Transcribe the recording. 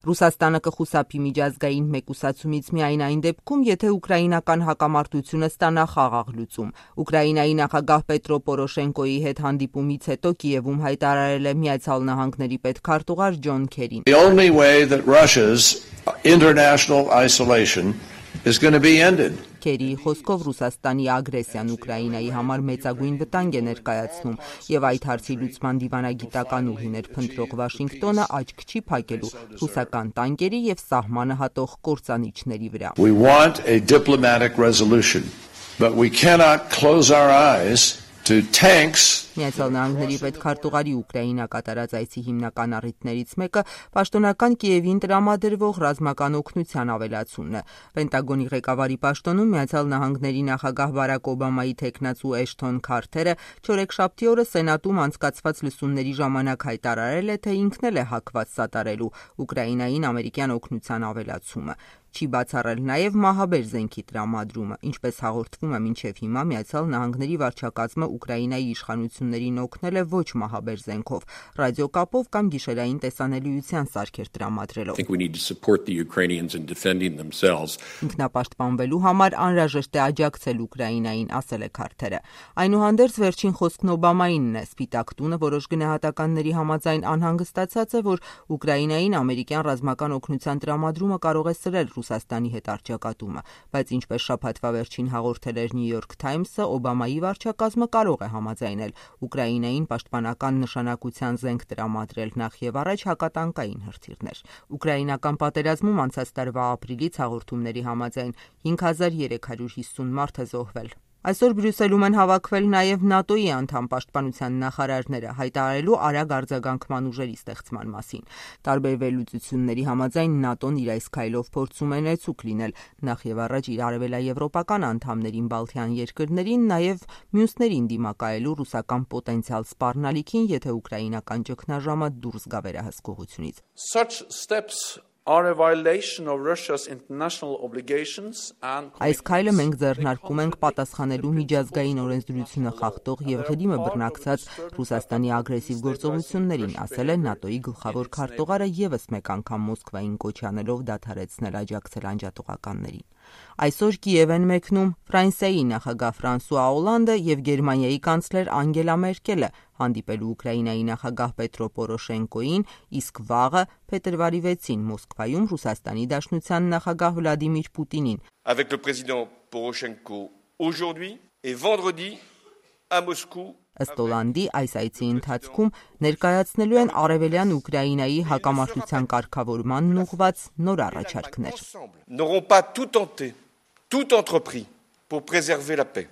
Ռուսաստանը կխուսափի միջազգային մեկուսացումից միայն այն դեպքում, եթե ուկրաինական հակամարտությունը ստանա խաղաղ լուծում։ Ուկրաինայի նախագահ Պետրո Պորոշենկոյի հետ հանդիպումից հետո Կիևում հայտարարել է Միացյալ Նահանգների պետքարտուղար Ջոն Քերին. The only way that Russia's international isolation is going to be ended. Քերիի խոսքով Ռուսաստանի ագրեսիան Ուկրաինայի համար մեծագույն վտանգ է ներկայացնում եւ այդ հարցի լուծման դիվանագիտական ուղիներ փնտրող Վաշինգտոնը աչք չի փակելու ռուսական տանկերի եւ սահմանը հատող կործանիչների վրա։ We want a diplomatic resolution, but we cannot close our eyes to tanks. Միացյալ Նահանգների պետքարտուղարի Ուկրաինա կատարած այցի հիմնական առիթներից մեկը պաշտոնական Կիևին տրամադրվող ռազմական օգնության ավելացումն է։ Պենտագոնի ղեկավարի պաշտոնում Միացյալ Նահանգների նախագահ Բարակ Օբամայի թեկնածու Էշթոն Քարթերը չորեքշաբթի օրը Սենատում անցկացված լսումների ժամանակ հայտարարել է, թե ինքն էլ է հակված սատարելու Ուկրաինային ամերիկյան օգնության ավելացումը։ Չի բացառել նաև մահաբեր զենքի տրամադրումը, ինչպես հաղորդվում է մինչև հիմա Միացյալ Նահանգների վարչակազմը Ուկրաինայի իշխանություններին օգնել է ոչ մահաբեր զենքով, ռադիոկապով կամ գիշերային տեսանելիության սարքեր տրամադրելով։ Ինքնապաշտպանվելու համար անհրաժեշտ է աջակցել Ուկրաինային, ասել է Քարթերը։ Այնուհանդերձ վերջին խոսքն Օբամայինն է։ Սպիտակ տունը որոշ գնահատականների համաձայն անհանգստացած է, որ Ուկրաինային ամերիկյան ռազմական օգնության տրամադրումը կարող է սրել Ռուսաստանի հետ առճակատումը, բայց ինչպես շաբաթվա վերջին հաղորդել էր New York Times-ը, Օբամայի վարչակազմը կարող է համաձայնել Ուկրաինային պաշտպանական նշանակության զենք տրամադրել նախ եւ առաջ հակատանկային հրթիռներ։ Ուկրաինական պատերազմում անցած տարվա ապրիլից հաղորդումների համաձայն 5350 մարդ է զոհվել։ Այսօր Բրյուսելում են հավաքվել նաև ՆԱՏՕ-ի անդամ պաշտպանության նախարարները հայտարարելու արագ արձագանքման ուժերի ստեղծման մասին։ Տարբեր վերլուծությունների համաձայն ՆԱՏՕ-ն իր այս քայլով փորձում է ներծուկ լինել նախ եւ առաջ իր արևելաեվրոպական անդամներին Բալթյան երկրներին, նաև մյուսներին դիմակայելու ռուսական պոտենցիալ սպառնալիքին, եթե ուկրաինական ճգնաժամը դուրս գա վերահսկողությունից։ Such steps are a violation of Russia's international obligations and Այս քայլը մենք ձեռնարկում ենք պատասխանելու միջազգային օրենսդրությունը խախտող եւ ղրիմը բռնակցած Ռուսաստանի ագրեսիվ գործողություններին, ասել է ՆԱՏՕ-ի գլխավոր քարտուղարը եւս մեկ անգամ Մոսկվային կոչ անելով դադարեցնել աջակցել անջատողականներին։ Այսօր Կիև են մեկնում Ֆրանսիայի նախագահ Ֆրանսուଆ Օլանդը եւ Գերմանիայի կանցլեր Անգելա Մերկելը հանդիպելու Ուկրաինայի նախագահ Պետրո Պորոշենկոյին, իսկ վաղը փետրվարի 6-ին Մոսկվայում Ռուսաստանի Դաշնության նախագահ Վլադիմիր Պուտինին։ Avec le président Poroshenko aujourd'hui et vendredi à Moscou. Ըստ Օլանդի այս այցի ընթացքում ներկայացնելու են արևելյան Ուկրաինայի հակամարտության կարգավորմանն ուղղված նոր առաջարկներ։ N'auront pas tout tenté, tout entrepris pour préserver la paix.